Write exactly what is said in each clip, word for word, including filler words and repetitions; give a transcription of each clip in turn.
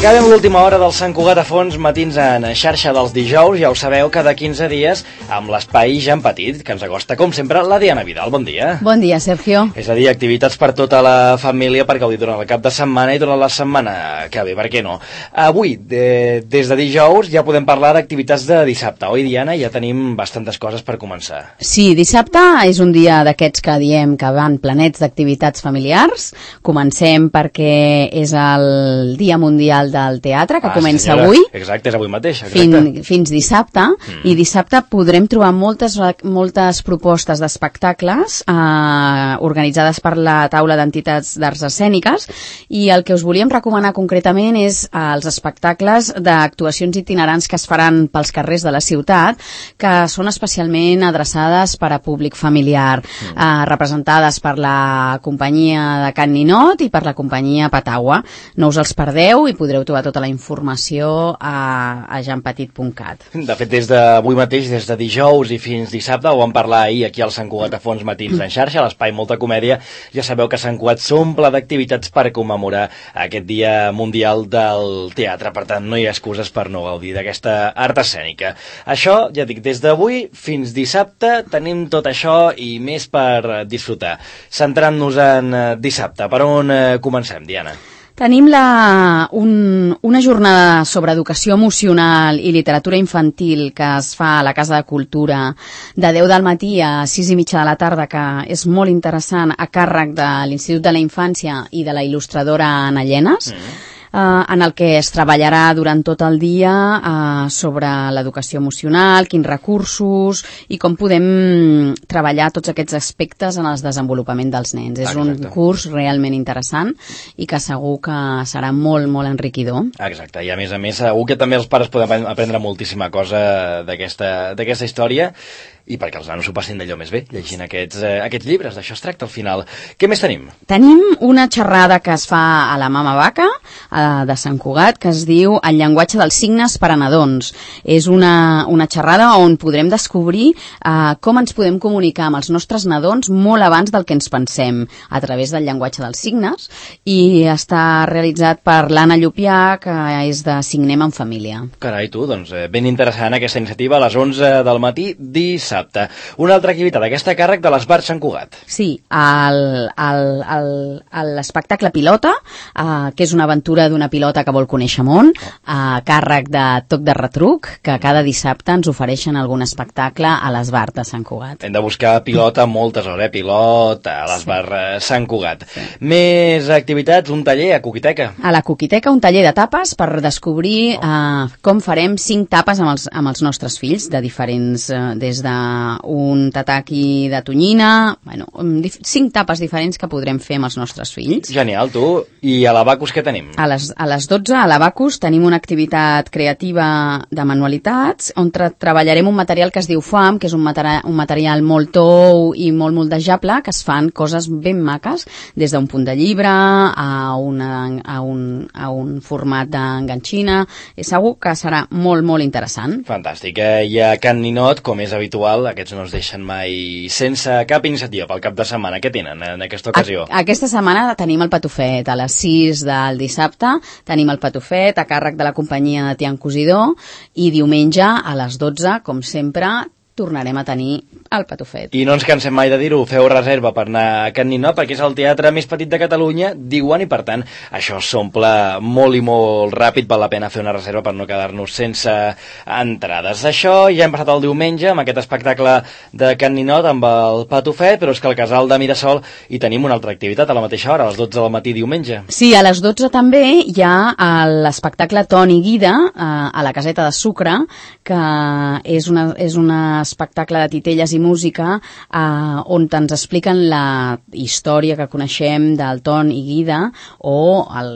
Acabem l'última hora del Sant Cugat a fons, matins en xarxa dels dijous, ja ho sabeu, cada quinze dies, amb l'espai Ja en Petit, que ens acosta, com sempre, la Diana Vidal. Bon dia. Bon dia, Sergio. És a dir, activitats per tota la família per gaudir durant el cap de setmana i durant la setmana que ve, per què no? Avui, de, des de dijous, ja podem parlar d'activitats de dissabte, oi, Diana? Ja tenim bastantes coses per començar. Sí, dissabte és un dia d'aquests que diem que van planets d'activitats familiars. Comencem perquè és el Dia Mundial del Teatre, que ah, comença senyora. avui. Exacte, és avui mateix. Fin, fins dissabte. Mm. I dissabte podrem trobar moltes, moltes propostes d'espectacles eh, organitzades per la taula d'entitats d'arts escèniques, i el que us volíem recomanar concretament és eh, els espectacles d'actuacions itinerants que es faran pels carrers de la ciutat, que són especialment adreçades per a públic familiar, mm. eh, representades per la companyia de Can Ninot i per la companyia Patagua. No us els perdeu i podreu trobar tota la informació a, a janpetit punt cat. De fet, des d'avui mateix, des de dijous i fins dissabte, ho vam parlar ahir aquí al Sant Cugat a fons matins en xarxa, a l'espai Molta Comèdia. Ja sabeu que Sant Cugat s'omple d'activitats per commemorar aquest Dia Mundial del Teatre. Per tant, no hi ha excuses per no gaudir d'aquesta art escènica. Això, ja dic, des d'avui fins dissabte tenim tot això i més per disfrutar. Centrant-nos en dissabte, per on comencem, Diana? Tenim la, un, una jornada sobre educació emocional i literatura infantil que es fa a la Casa de Cultura de deu del matí a sis i mitja de la tarda, que és molt interessant, a càrrec de l'Institut de la Infància i de la il·lustradora Ana Llenes. Mm. Uh, en el que es treballarà durant tot el dia uh, sobre l'educació emocional, quins recursos i com podem treballar tots aquests aspectes en el desenvolupament dels nens. És Exacte. un curs realment interessant i que segur que serà molt, molt enriquidor. Exacte, i a més a més segur que també els pares poden aprendre moltíssima cosa d'aquesta d'aquesta història, i perquè els nanos ho passin d'allò més bé, llegint aquests, eh, aquests llibres. D'això es tracta al final. Què més tenim? Tenim una xerrada que es fa a la Mama Vaca, eh, de Sant Cugat, que es diu El llenguatge dels signes per a nadons. És una, una xerrada on podrem descobrir eh, com ens podem comunicar amb els nostres nadons molt abans del que ens pensem, a través del llenguatge dels signes, i està realitzat per l'Anna Llupià, que és de Signem en Família. Carai, tu, doncs eh, ben interessant aquesta iniciativa a les onze del matí dissabte. Una altra activitat, aquesta a càrrec de l'Esbar Sant Cugat. Sí, l'espectacle Pilota, eh, que és una aventura d'una pilota que vol conèixer món, a càrrec de Toc de Retruc, que cada dissabte ens ofereixen algun espectacle a l'Esbar de Sant Cugat. Hem de buscar pilota moltes hores, eh? Pilota a l'Esbar sí. Sant Cugat. Sí. Més activitats, un taller a Coquiteca. A la Coquiteca, un taller de tapes per descobrir oh. eh, com farem cinc tapes amb els, amb els nostres fills, de diferents, eh, des de un tataki de tonyina, bueno, cinc tapes diferents que podrem fer amb els nostres fills. Genial, tu. I a l'Abacus què tenim? A les, a les dotze, a l'Abacus, tenim una activitat creativa de manualitats, on tra treballarem un material que es diu F A M, que és un, materi un material molt tou i molt moldejable, que es fan coses ben maques, des d'un punt de llibre a, una, a, un, a un format d'enganxina. Segur que serà molt, molt interessant. Fantàstic. Eh? I a Can Ninot, com és habitual, aquests no es deixen mai sense cap iniciativa pel cap de setmana. Què tenen en aquesta ocasió? A aquesta setmana tenim el Patufet. A les sis del dissabte tenim el Patufet a càrrec de la companyia de Tian Cosidor, i diumenge a les dotze, com sempre, tornarem a tenir el Patufet. I no ens cansem mai de dir-ho, feu reserva per anar a Can Ninot, perquè és el teatre més petit de Catalunya, diuen, i per tant això s'omple molt i molt ràpid. Val la pena fer una reserva per no quedar-nos sense entrades. Això ja hem passat el diumenge amb aquest espectacle de Can Ninot amb el Patufet, però és que al Casal de Mirasol hi tenim una altra activitat a la mateixa hora, a les dotze del matí diumenge. Sí, a les dotze també hi ha l'espectacle Toni Guida eh, a la Caseta de Sucre, que és una, és una espectacle de titelles i música eh, on ens expliquen la història que coneixem del Ton i Guida, o el,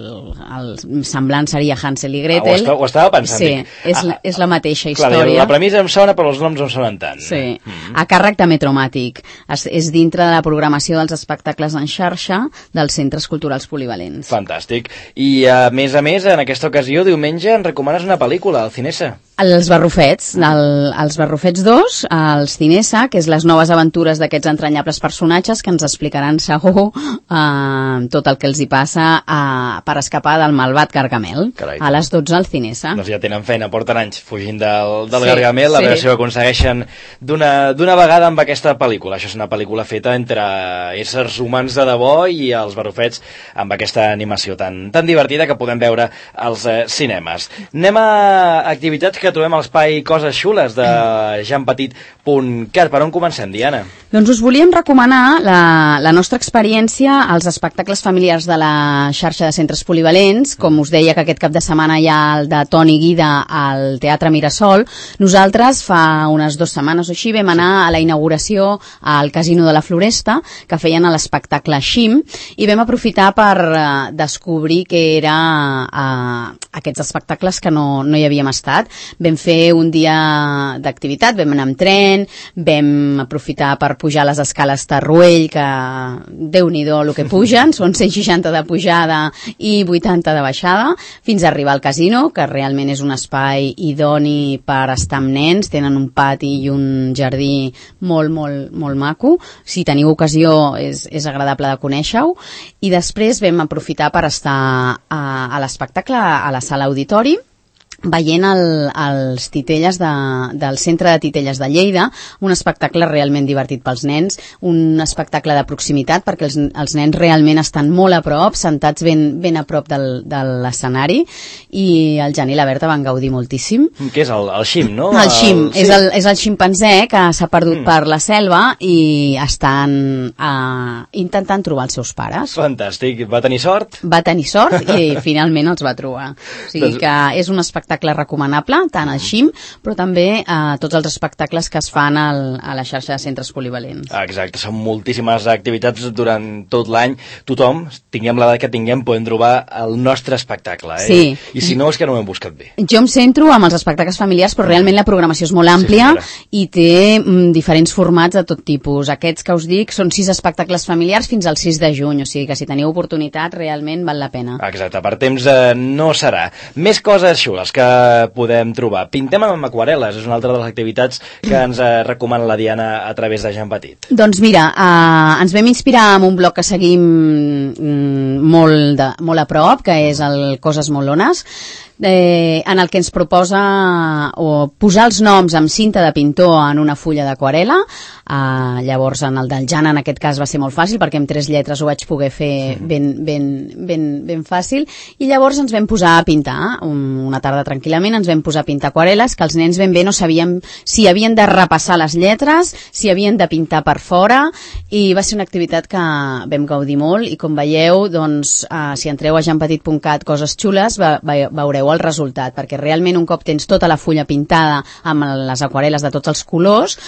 el semblant seria Hansel i Gretel. Ah, ho, estava, ho estava pensant. Sí, és, ah, la, és la mateixa història. Clar, la premissa em sona, però els noms no em sonen tant. Sí, mm-hmm. A càrrec de Metromàtic. És, és dintre de la programació dels espectacles en xarxa dels centres culturals polivalents. Fantàstic. I a més a més, en aquesta ocasió, diumenge, ens recomanes una pel·lícula, al Cinesa. Els Barrufets, el, els Barrufets dos, els Cinesa, que que és les noves aventures d'aquests entranyables personatges que ens explicaran segur eh, tot el que els hi passa eh, per escapar del malvat Gargamel. Carai, a les dotze al Cinesa. Doncs ja tenen feina, porten anys fugint del, del sí, Gargamel, a sí. veure si ho aconsegueixen d'una vegada amb aquesta pel·lícula. Això és una pel·lícula feta entre éssers humans de debò i els barrufets amb aquesta animació tan, tan divertida que podem veure als eh, cinemes. Anem a activitats que trobem a l'espai Coses Xules de jan petit punt cat. Per on comencem, Diana? Doncs us volíem recomanar la, la nostra experiència als espectacles familiars de la xarxa de centres polivalents. Com us deia que aquest cap de setmana hi ha el de Toni Guida al Teatre Mirasol. Nosaltres fa unes dues setmanes o així vam anar a la inauguració al Casino de la Floresta, que feien l'espectacle Xim, i vam aprofitar per uh, descobrir que era uh, aquests espectacles que no, no hi havíem estat. Vam fer un dia d'activitat, vam anar amb tren, vam aprofitar per pujar les escales Tarruell, que déu-n'hi-do el que pugen, són cent seixanta de pujada i vuitanta de baixada, fins a arribar al casino, que realment és un espai idoni per estar amb nens, tenen un pati i un jardí molt, molt, molt maco. Si teniu ocasió és, és agradable de conèixer-ho. I després vam aprofitar per estar a, a l'espectacle a la sala auditori, veient el, els titelles de, del Centre de Titelles de Lleida, un espectacle realment divertit pels nens, un espectacle de proximitat perquè els, els nens realment estan molt a prop, sentats ben, ben a prop del, de l'escenari, i el Jan i la Berta van gaudir moltíssim. Què és el, el xim, no? El xim, el, sí. és, el, és el ximpanzé que s'ha perdut mm. per la selva i estan uh, intentant trobar els seus pares. Fantàstic, va tenir sort? Va tenir sort i finalment els va trobar. O sigui doncs... que és un espectacle recomanable, tant al Xim, però també a eh, tots els espectacles que es fan al, a la xarxa de centres polivalents. Exacte, són moltíssimes activitats durant tot l'any. Tothom, tinguem l'edat que tinguem, podem trobar el nostre espectacle. Eh? Sí. I si no, és que no ho hem buscat bé. Jo em centro amb els espectacles familiars, però realment la programació és molt àmplia sí, i té mm, diferents formats de tot tipus. Aquests que us dic són sis espectacles familiars fins al sis de juny, o sigui que si teniu oportunitat realment val la pena. Exacte, per temps eh, no serà. Més coses xules que podem trobar. Pintem amb aquarel·les, és una altra de les activitats que ens eh, recomana la Diana a través de Jan Petit. Doncs mira, eh, ens vam inspirar en un blog que seguim mm, molt, de, molt a prop, que és el Coses Molones, eh, en el que ens proposa o posar els noms amb cinta de pintor en una fulla d'aquarel·la. Uh, llavors en el del Jan en aquest cas va ser molt fàcil perquè amb tres lletres ho vaig poder fer ben, ben, ben, ben fàcil, i llavors ens vam posar a pintar un, una tarda tranquil·lament, ens vam posar a pintar aquarel·les que els nens ben bé no sabien si havien de repassar les lletres, si havien de pintar per fora, i va ser una activitat que vam gaudir molt, i com veieu, doncs, uh, si entreu a jan petit punt cat coses xules ve, ve, veureu el resultat, perquè realment un cop tens tota la fulla pintada amb les aquarel·les de tots els colors,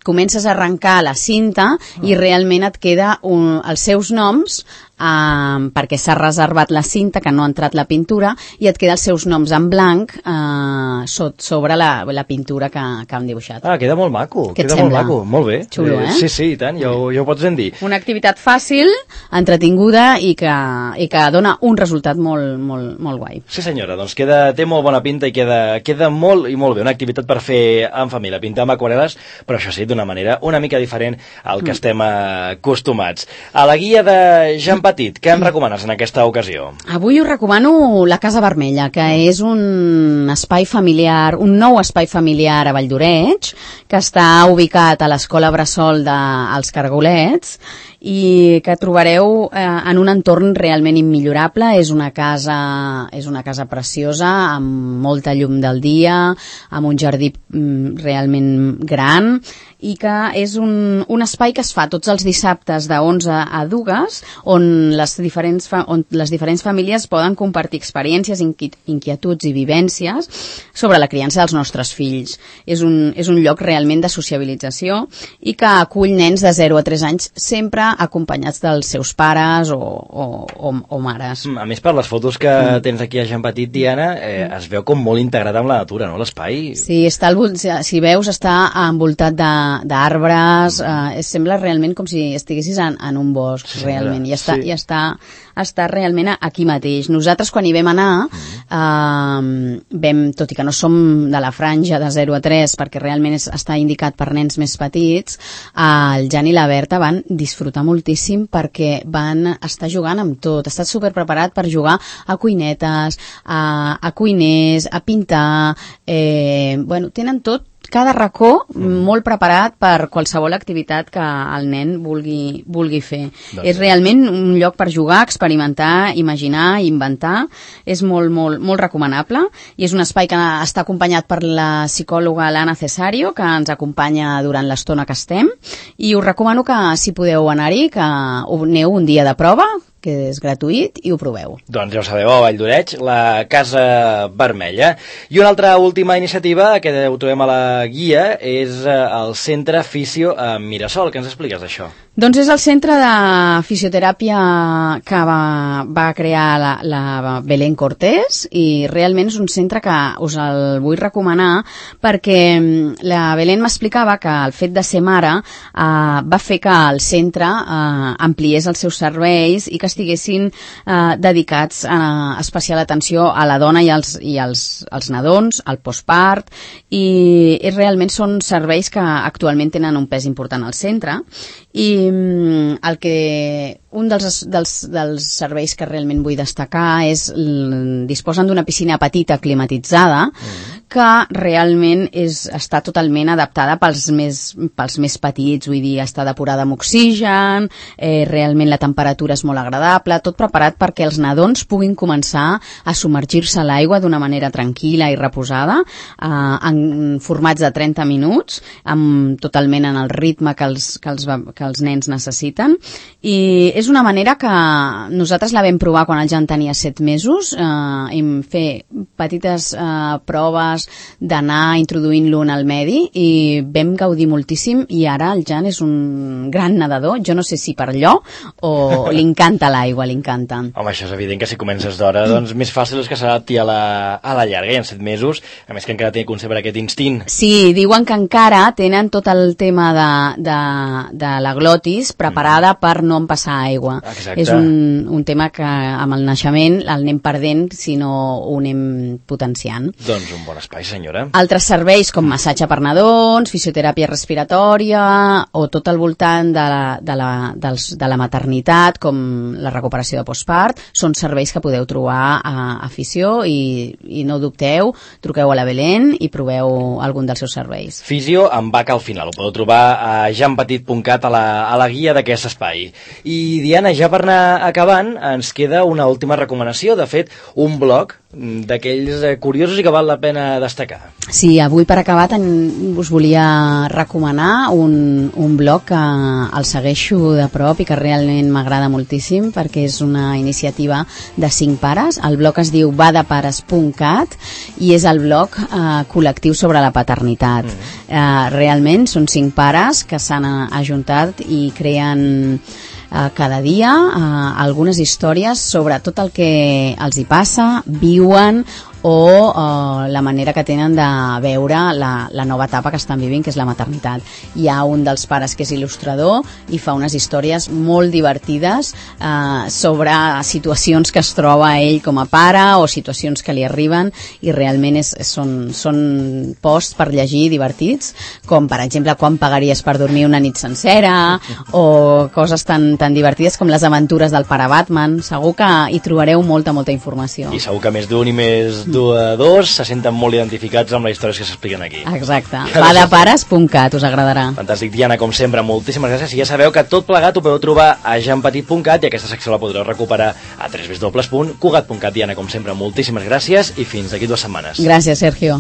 comences a arrencar la cinta i realment et queda un, els seus noms eh, perquè s'ha reservat la cinta, que no ha entrat la pintura, i et queda els seus noms en blanc eh, sot, sobre la, la pintura que, que han dibuixat. Ah, queda molt maco, Què queda molt maco, molt bé. Xulo, eh? Sí, sí, i tant, ja ho, ja ho pots ben dir. Una activitat fàcil, entretinguda i que, i que dona un resultat molt, molt, molt guai. Sí senyora, doncs queda, té molt bona pinta i queda, queda molt i molt bé, una activitat per fer en família, pintar amb aquarel·les, però això sí, d'una manera una mica diferent al que mm. estem acostumats. A la guia de Jan Petit, què em recomanes en aquesta ocasió? Avui us recomano la Casa Vermella, que és un espai familiar, un nou espai familiar a Valldoreix, que està ubicat a l'Escola Bressol dels Cargolets, i que trobareu eh, en un entorn realment immillorable. És una casa, és una casa preciosa, amb molta llum del dia, amb un jardí mm, realment gran, i que és un, un espai que es fa tots els dissabtes de onze a dues, on les diferents, fa, on les diferents famílies poden compartir experiències, inquietuds i vivències sobre la criança dels nostres fills. És un, és un lloc realment de sociabilització i que acull nens de zero a tres anys, sempre acompanyats dels seus pares o, o, o, o mares. A més, per les fotos que mm. tens aquí a Jean Petit, Diana, eh, es veu com molt integrat amb la natura, no?, l'espai. Sí, està al, si veus, està envoltat d'arbres, eh, sembla realment com si estiguessis en, en un bosc, sí, realment, i està, sí. i està, està realment aquí mateix. Nosaltres, quan hi vam anar, mm. eh, vam, tot i que no som de la franja de zero a tres, perquè realment és, està indicat per nens més petits, eh, el Jan i la Berta van disfrutar moltíssim perquè van estar jugant amb tot. Ha estat superpreparat per jugar a cuinetes, a, a cuiners, a pintar, eh, bueno, tenen tot, cada racó mm. molt preparat per qualsevol activitat que el nen vulgui, vulgui fer. Doncs és realment un lloc per jugar, experimentar, imaginar, inventar. És molt, molt, molt recomanable i és un espai que està acompanyat per la psicòloga Lana Cesario, que ens acompanya durant l'estona que estem, i us recomano que, si podeu anar-hi, que aneu un dia de prova, que és gratuït, i ho proveu. Doncs ja ho sabeu, a Vall d'Oreig, la Casa Vermella. I una altra última iniciativa que ho trobem a la guia és el Centre Fisio a Mirasol. Què ens expliques d'això? Doncs és el centre de fisioteràpia que va, va crear la, la Belén Cortés, i realment és un centre que us el vull recomanar perquè la Belén m'explicava que el fet de ser mare eh, va fer que el centre eh, ampliés els seus serveis i que estiguessin eh, dedicats a especial atenció a la dona i als, i als, als nadons, al postpart, i, i realment són serveis que actualment tenen un pes important al centre. I el que un dels, dels, dels serveis que realment vull destacar és disposen d'una piscina petita climatitzada mm. que realment és, està totalment adaptada pels més, pels més petits, vull dir, està depurada amb oxigen, eh, realment la temperatura és molt agradable, tot preparat perquè els nadons puguin començar a submergir-se a l'aigua d'una manera tranquil·la i reposada, eh, en formats de trenta minuts, amb, totalment en el ritme que els, que els, que els nens necessiten, i és una manera que nosaltres la vam provar quan el Jan tenia set mesos, eh, hem fet petites eh, proves d'anar introduint-lo en el medi i vam gaudir moltíssim, i ara el Jan és un gran nedador, jo no sé si per allò o li encanta l'aigua, li encanta. Home, això és evident que si comences d'hora, doncs més fàcil és que s'adapti a, la, a la llarga, i en set mesos, a més que encara té que concebre aquest instint. Sí, diuen que encara tenen tot el tema de, de, de la glotis preparada mm. per no empassar aigua. Exacte. És un, un tema que amb el naixement el anem perdent si no ho anem potenciant. Doncs un bon espai, senyora. Altres serveis com massatge per nadons, fisioteràpia respiratòria o tot al voltant de la, de la, dels, de la maternitat, com la recuperació de postpart, són serveis que podeu trobar a, a Fisio, i, i no dubteu, truqueu a la Belén i proveu algun dels seus serveis. Fisio amb vaca al final, ho podeu trobar a janpetit punt cat, a la, a la guia d'aquest espai. I Diana, ja per anar acabant, ens queda una última recomanació, de fet, un blog d'aquells curiosos i que val la pena destacar. Sí, avui per acabar ten, us volia recomanar un, un blog que el segueixo de prop i que realment m'agrada moltíssim perquè és una iniciativa de cinc pares. El blog es diu badapares punt cat i és el blog eh, col·lectiu sobre la paternitat. Mm. Eh, realment són cinc pares que s'han ajuntat i creen cada dia eh, algunes històries sobre tot el que els hi passa, viuen, o uh, la manera que tenen de veure la, la nova etapa que estan vivint, que és la maternitat. Hi ha un dels pares que és il·lustrador i fa unes històries molt divertides uh, sobre situacions que es troba ell com a pare o situacions que li arriben, i realment és, són, són posts per llegir divertits, com per exemple quan pagaries per dormir una nit sencera, o coses tan, tan divertides com les aventures del pare Batman. Segur que hi trobareu molta, molta informació. I segur que més d'un i més dos se senten molt identificats amb les històries que s'expliquen aquí. Exacte. badapares punt cat, us agradarà. Fantàstic, Diana, com sempre, moltíssimes gràcies. I ja sabeu que tot plegat ho podeu trobar a janpetit punt cat i aquesta secció la podreu recuperar a w w w punt cugat punt cat. Diana, com sempre, moltíssimes gràcies i fins d'aquí dues setmanes. Gràcies, Sergio.